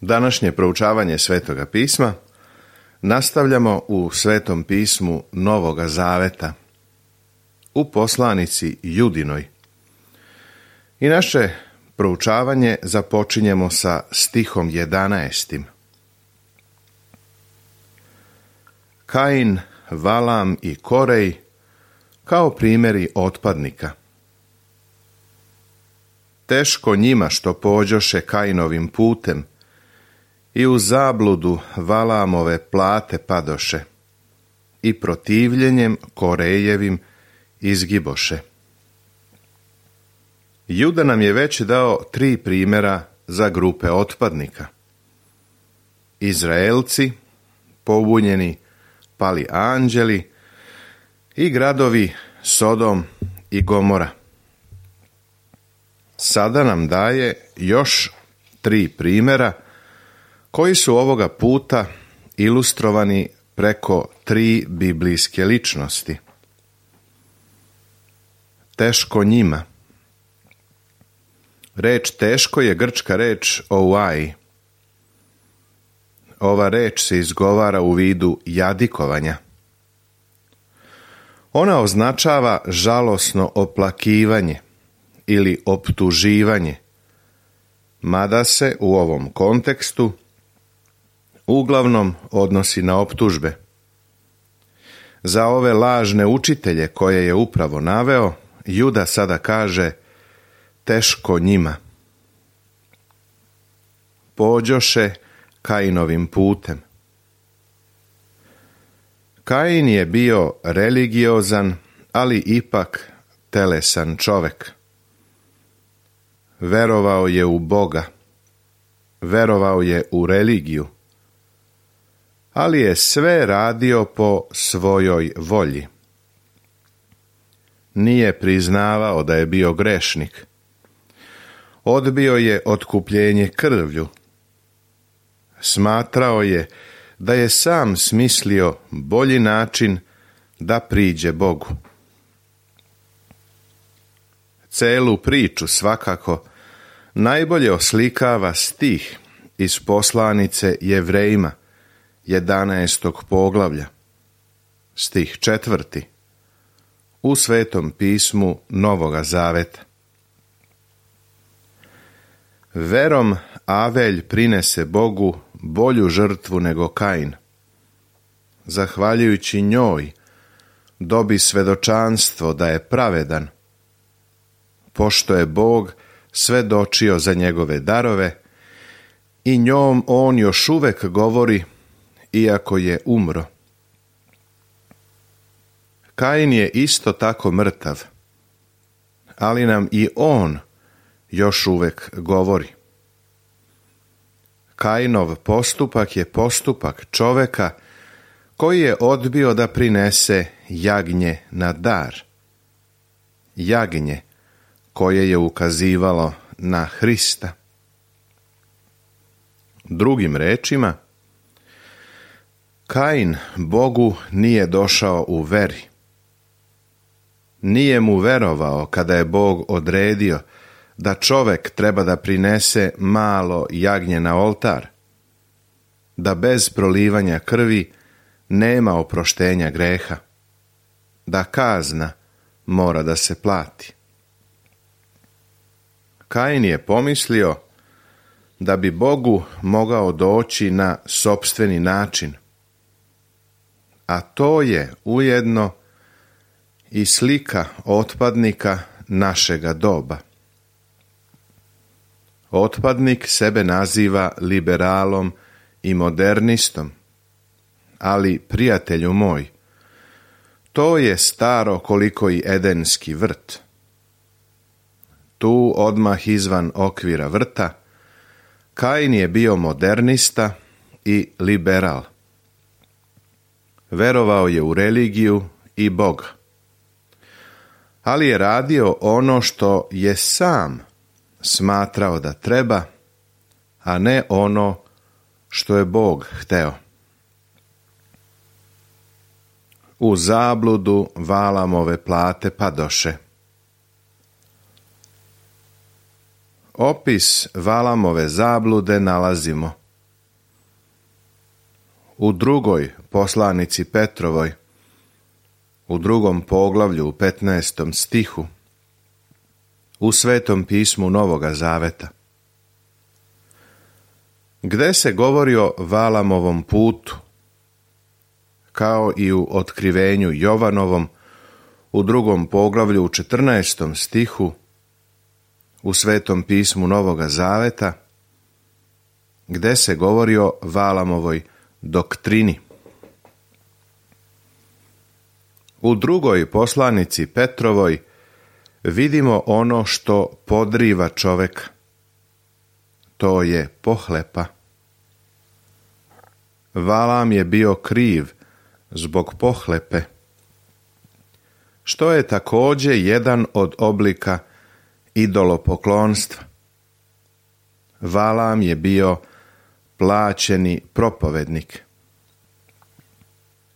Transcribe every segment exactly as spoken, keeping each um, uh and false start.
Današnje proučavanje Svetoga pisma nastavljamo u Svetom pismu Novoga Zaveta, u poslanici Judinoj. I naše proučavanje započinjemo sa stihom jedanaestim. Kain, Valam i Korej kao primjeri otpadnika. Teško njima što pođoše Kainovim putem i u zabludu Valamove plate padoše i protivljenjem Korejevim izgiboše. Juda nam je već dao tri primjera za grupe otpadnika. Izraelci, pobunjeni pali anđeli i gradovi Sodom i Gomora. Sada nam daje još tri primjera koji su ovoga puta ilustrovani preko tri biblijske ličnosti. Teško njima. Reč teško je grčka reč ouai. Ova reč se izgovara u vidu jadikovanja. Ona označava žalosno oplakivanje ili optuživanje, mada se u ovom kontekstu uglavnom odnosi na optužbe. Za ove lažne učitelje koje je upravo naveo, Juda sada kaže teško njima. Pođoše Kainovim putem. Kain je bio religiozan, ali ipak telesan čovek. Verovao je u Boga, verovao je u religiju, ali je sve radio po svojoj volji. Nije priznavao da je bio grešnik. Odbio je otkupljenje krvlju. Smatrao je da je sam smislio bolji način da priđe Bogu. Celu priču svakako najbolje oslikava stih iz poslanice Jevrejima, jedanaestog poglavlja, stih četvrti, u Svetom pismu Novoga Zaveta. Verom Avelj prinese Bogu bolju žrtvu nego Kain. Zahvaljujući njoj dobi svedočanstvo da je pravedan, pošto je Bog svedočio za njegove darove i njom on još uvek govori, iako je umro. Kain je isto tako mrtav, ali nam i on još uvek govori. Kainov postupak je postupak čoveka koji je odbio da prinese jagnje na dar. Jagnje koje je ukazivalo na Hrista. Drugim rečima, Kain Bogu nije došao u veri. Nije mu verovao kada je Bog odredio da čovek treba da prinese malo jagnje na oltar, da bez prolivanja krvi nema oproštenja greha, da kazna mora da se plati. Kain je pomislio da bi Bogu mogao doći na sopstveni način, a to je ujedno i slika otpadnika našega doba. Otpadnik sebe naziva liberalom i modernistom, ali, prijatelju moj, to je staro koliko i edenski vrt. Tu odmah izvan okvira vrta, Kain je bio modernista i liberal. Verovao je u religiju i Boga, ali je radio ono što je sam smatrao da treba, a ne ono što je Bog hteo. U zabludu Valamove plate padoše. Opis Valamove zablude nalazimo u drugoj poslanici Petrovoj, u drugom poglavlju, u petnaestom stihu, u Svetom pismu Novoga Zaveta, gde se govori o Valamovom putu, kao i u otkrivenju Jovanovom, u drugom poglavlju, u četrnaestom stihu, u Svetom pismu Novoga Zaveta, gde se govori o Valamovoj doktrini. U drugoj poslanici Petrovoj vidimo ono što podriva čoveka. To je pohlepa. Valam je bio kriv zbog pohlepe, što je također jedan od oblika idolopoklonstva. Valam je bio plaćeni propovednik.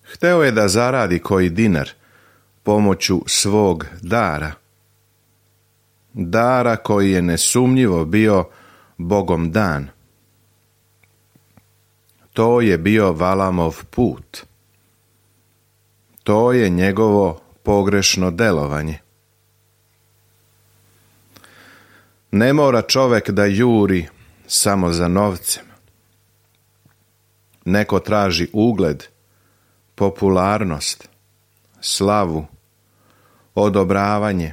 Hteo je da zaradi koji dinar pomoću svog dara. Dara koji je nesumnjivo bio Bogom dan. To je bio Valamov put. To je njegovo pogrešno delovanje. Ne mora čovek da juri samo za novcem. Neko traži ugled, popularnost, slavu, odobravanje,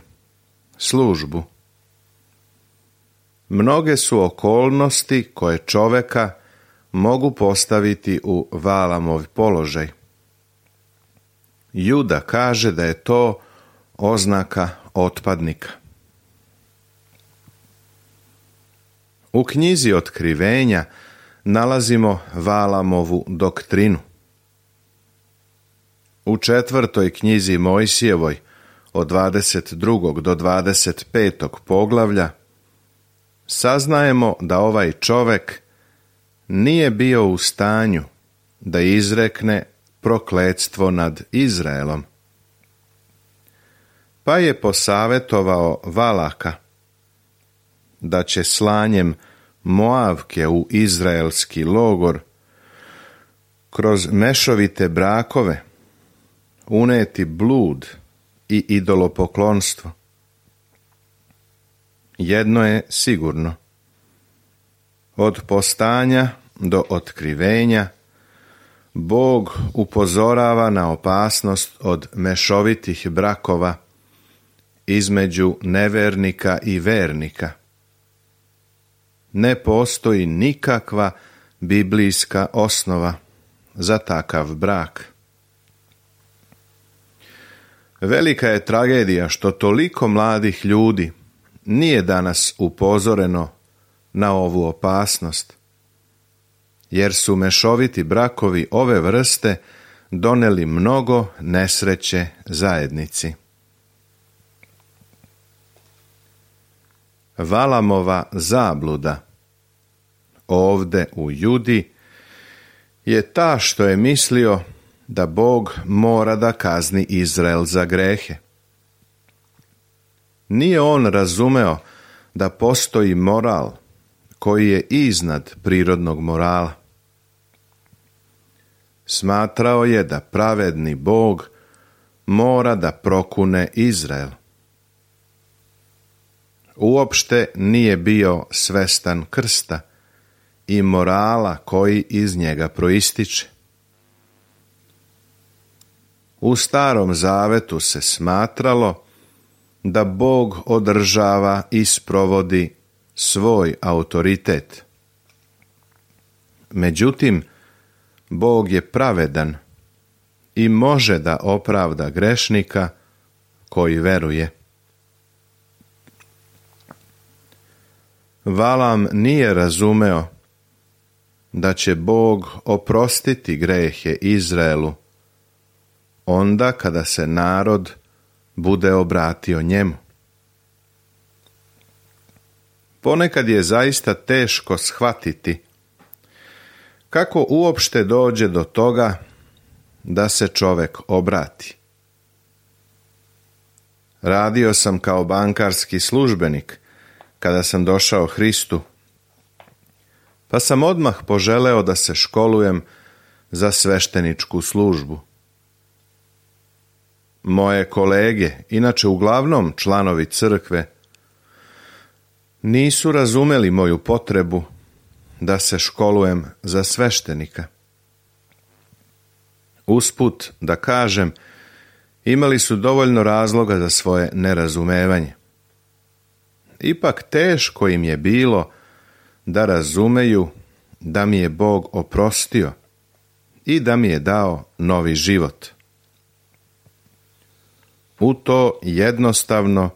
službu. Mnoge su okolnosti koje čoveka mogu postaviti u Valamov položaj. Juda kaže da je to oznaka otpadnika. U knjizi Otkrivenja nalazimo Valamovu doktrinu. U četvrtoj knjizi Mojsijevoj od dvadeset drugog do dvadeset petog poglavlja saznajemo da ovaj čovek nije bio u stanju da izrekne prokletstvo nad Izraelom. Pa je posavetovao Valaka da će slanjem Moavke u izraelski logor kroz mešovite brakove uneti blud i idolopoklonstvo. Jedno je sigurno. Od postanja do otkrivenja Bog upozorava na opasnost od mešovitih brakova između nevernika i vernika. Ne postoji nikakva biblijska osnova za takav brak. Velika je tragedija što toliko mladih ljudi nije danas upozoreno na ovu opasnost, jer su mešoviti brakovi ove vrste doneli mnogo nesreće zajednici. Valamova zabluda ovde u Judi je ta što je mislio da Bog mora da kazni Izrael za grehe. Nije on razumeo da postoji moral koji je iznad prirodnog morala. Smatrao je da pravedni Bog mora da prokune Izrael. Uopšte nije bio svestan krsta i morala koji iz njega proističe. U Starom Zavetu se smatralo da Bog održava i sprovodi svoj autoritet. Međutim, Bog je pravedan i može da opravda grešnika koji veruje. Valam nije razumeo da će Bog oprostiti grehe Izraelu onda kada se narod bude obratio njemu. Ponekad je zaista teško shvatiti kako uopšte dođe do toga da se čovek obrati. Radio sam kao bankarski službenik kada sam došao Hristu, pa sam odmah poželeo da se školujem za svešteničku službu. Moje kolege, inače uglavnom članovi crkve, nisu razumeli moju potrebu da se školujem za sveštenika. Usput da kažem, imali su dovoljno razloga za svoje nerazumevanje. Ipak teško im je bilo da razumeju da mi je Bog oprostio i da mi je dao novi život. U to jednostavno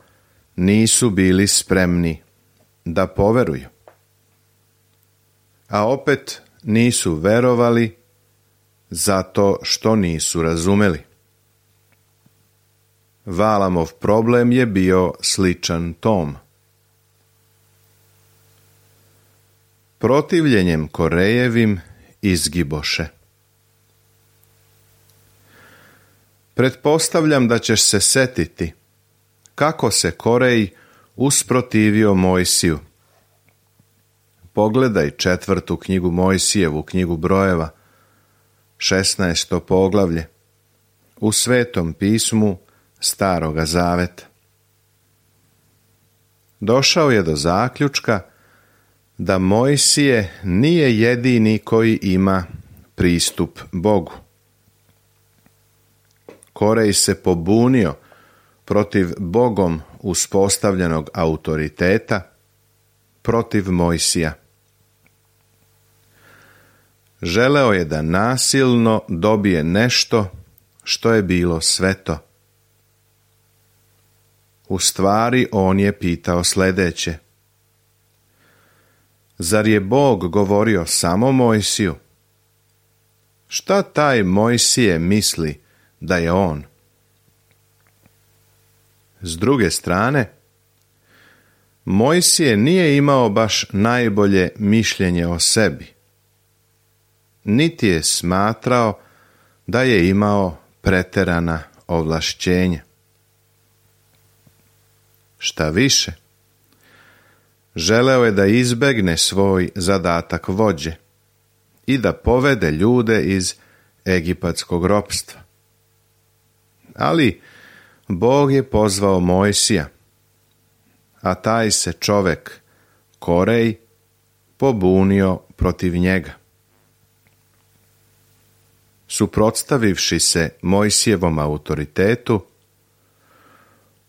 nisu bili spremni da poveruju. A opet nisu verovali zato što nisu razumeli. Valamov problem je bio sličan tom. Protivljenjem Korejevim izgiboše. Pretpostavljam da ćeš se setiti kako se Korej usprotivio Mojsiju. Pogledaj četvrtu knjigu Mojsijevu, knjigu brojeva, šesnaesto poglavlje, u Svetom pismu Staroga zaveta. Došao je do zaključka da Mojsije nije jedini koji ima pristup Bogu. Korej se pobunio protiv Bogom uspostavljenog autoriteta, protiv Mojsija. Želeo je da nasilno dobije nešto što je bilo sveto. U stvari on je pitao sljedeće: zar je Bog govorio samo Mojsiju? Šta taj Mojsije misli da je on? S druge strane, Mojsije nije imao baš najbolje mišljenje o sebi, niti je smatrao da je imao preterana ovlašćenja. Šta više, želeo je da izbegne svoj zadatak vođe i da povede ljude iz egipatskog ropstva. Ali Bog je pozvao Mojsija, a taj se čovek, Korej, pobunio protiv njega. Suprotstavivši se Mojsijevom autoritetu,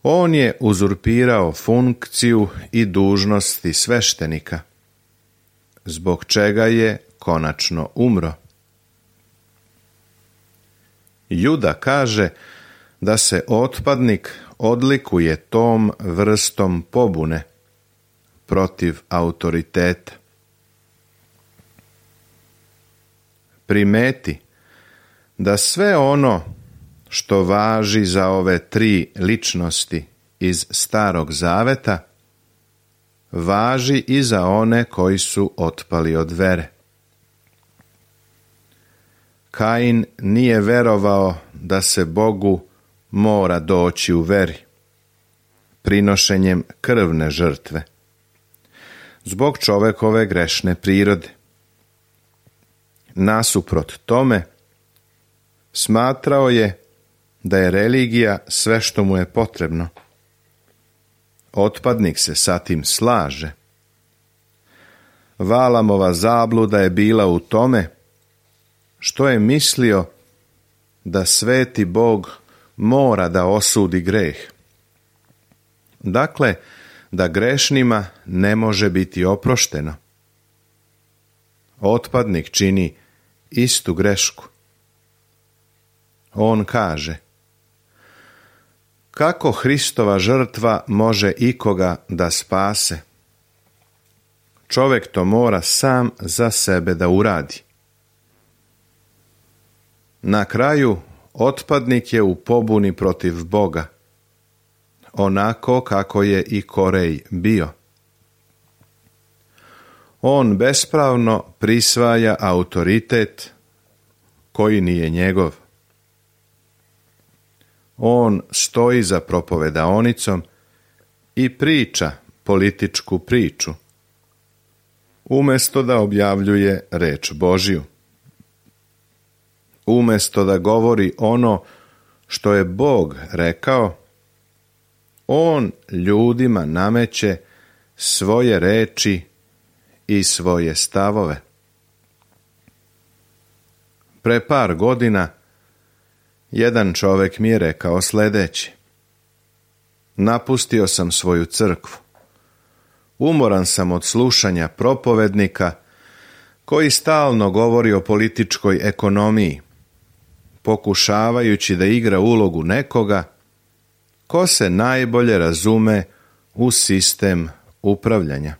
on je uzurpirao funkciju i dužnosti sveštenika, zbog čega je konačno umro. Juda kaže da se otpadnik odlikuje tom vrstom pobune protiv autoriteta. Primeti da sve ono što važi za ove tri ličnosti iz Starog zaveta važi i za one koji su otpali od vere. Kain nije verovao da se Bogu mora doći u veri, prinošenjem krvne žrtve, zbog čovekove grešne prirode. Nasuprot tome, smatrao je da je religija sve što mu je potrebno. Otpadnik se sa tim slaže. Valamova zabluda je bila u tome što je mislio da sveti Bog mora da osudi greh. Dakle, da grešnima ne može biti oprošteno. Otpadnik čini istu grešku. On kaže: kako Hristova žrtva može ikoga da spase? Čovjek to mora sam za sebe da uradi. Na kraju, otpadnik je u pobuni protiv Boga, onako kako je i Korej bio. On bespravno prisvaja autoritet koji nije njegov. On stoji za propovedaonicom i priča političku priču, umjesto da objavljuje reč Božju. Umjesto da govori ono što je Bog rekao, on ljudima nameće svoje reči i svoje stavove. Pre par godina jedan čovjek mi je rekao sljedeće: napustio sam svoju crkvu. Umoran sam od slušanja propovednika koji stalno govori o političkoj ekonomiji, pokušavajući da igra ulogu nekoga ko se najbolje razume u sistem upravljanja.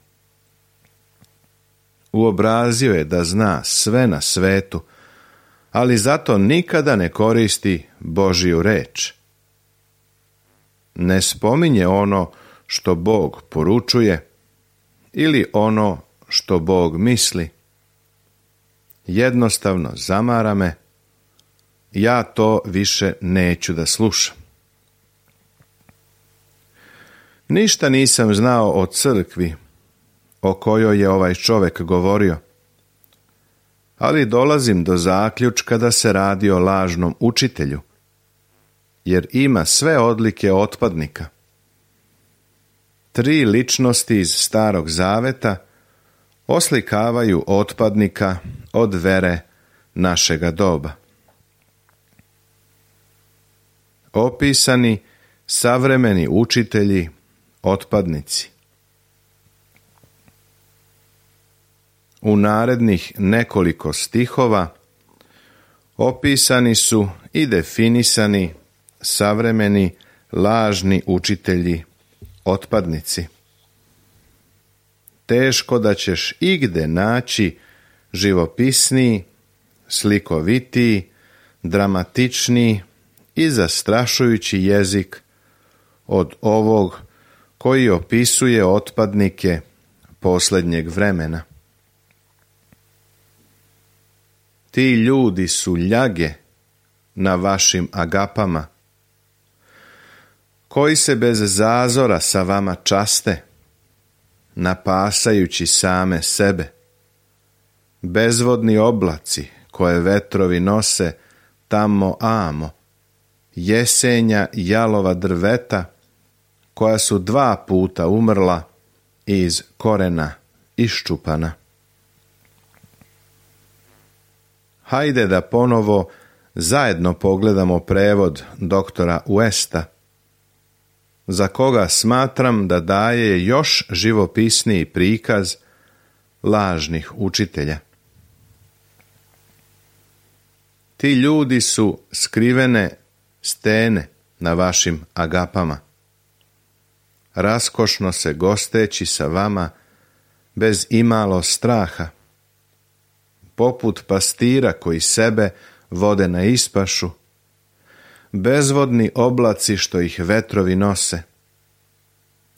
Uobrazio je da zna sve na svetu, ali zato nikada ne koristi Božju reč. Ne spominje ono što Bog poručuje ili ono što Bog misli. Jednostavno zamara me, ja to više neću da slušam. Ništa nisam znao o crkvi o kojoj je ovaj čovjek govorio, ali dolazim do zaključka da se radi o lažnom učitelju, jer ima sve odlike otpadnika. Tri ličnosti iz Starog Zaveta oslikavaju otpadnika od vere našega doba. Opisani savremeni učitelji otpadnici. U narednih nekoliko stihova opisani su i definisani savremeni lažni učitelji otpadnici. Teško da ćeš igde naći živopisniji, slikovitiji, dramatičniji i zastrašujući jezik od ovog koji opisuje otpadnike posljednjeg vremena. Ti ljudi su ljage na vašim agapama, koji se bez zazora sa vama časte, napasajući same sebe. Bezvodni oblaci koje vetrovi nose tamo amo, jesenja jalova drveta koja su dva puta umrla i iz korena iščupana. Hajde da ponovo zajedno pogledamo prevod doktora Westa, za koga smatram da daje još živopisniji prikaz lažnih učitelja. Ti ljudi su skrivene stene na vašim agapama, raskošno se gosteći sa vama bez imalo straha, poput pastira koji sebe vode na ispašu, bezvodni oblaci što ih vetrovi nose,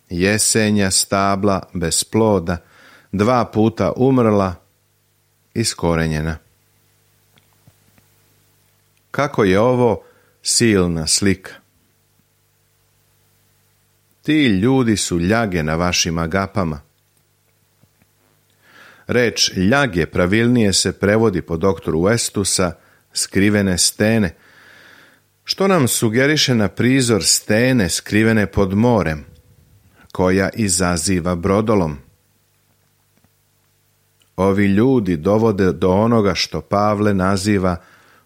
jesenja stabla bez ploda, dva puta umrla, iskorenjena. Kako je ovo silna slika. Ti ljudi su ljage na vašim agapama. Reč ljage pravilnije se prevodi po doktoru Westu sa skrivene stene, što nam sugeriše na prizor stene skrivene pod morem, koja izaziva brodolom. Ovi ljudi dovode do onoga što Pavle naziva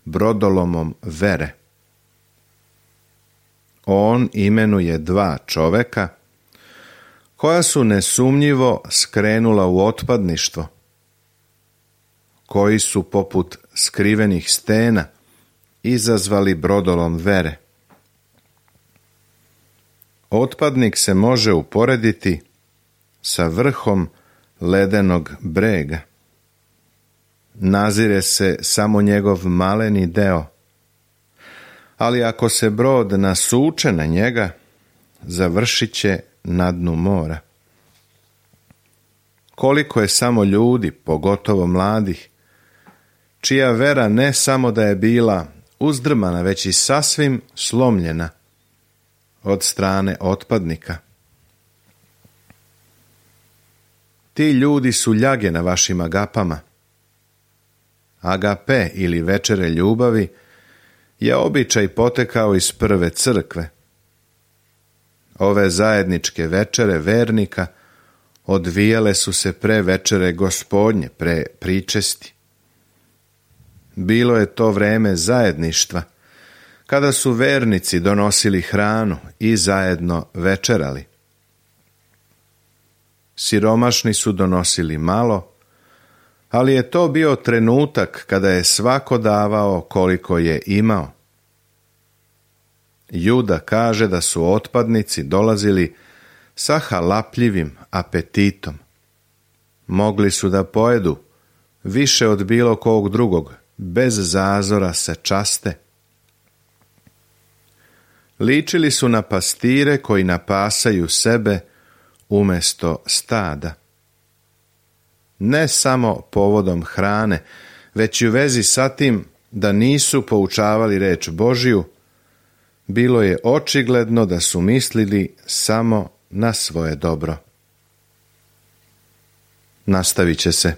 brodolomom vere. On imenuje dva čoveka koja su nesumnjivo skrenula u otpadništvo, koji su poput skrivenih stena izazvali brodolom vere. Otpadnik se može uporediti sa vrhom ledenog brega. Nazire se samo njegov maleni deo, ali ako se brod nasuče na njega, završit će na dnu mora. Koliko je samo ljudi, pogotovo mladih, čija vera ne samo da je bila uzdrmana, već i sasvim slomljena od strane otpadnika. Ti ljudi su ljage na vašim agapama. Agape ili večere ljubavi je običaj potekao iz prve crkve. Ove zajedničke večere vernika odvijale su se pre večere Gospodnje, pre pričesti. Bilo je to vreme zajedništva, kada su vernici donosili hranu i zajedno večerali. Siromašni su donosili malo, ali je to bio trenutak kada je svako davao koliko je imao. Juda kaže da su otpadnici dolazili sa halapljivim apetitom. Mogli su da pojedu više od bilo kog drugog, bez zazora se časte. Ličili su na pastire koji napasaju sebe umjesto stada. Ne samo povodom hrane, već i u vezi sa tim da nisu poučavali reč Božju, bilo je očigledno da su mislili samo na svoje dobro. Nastavit će se.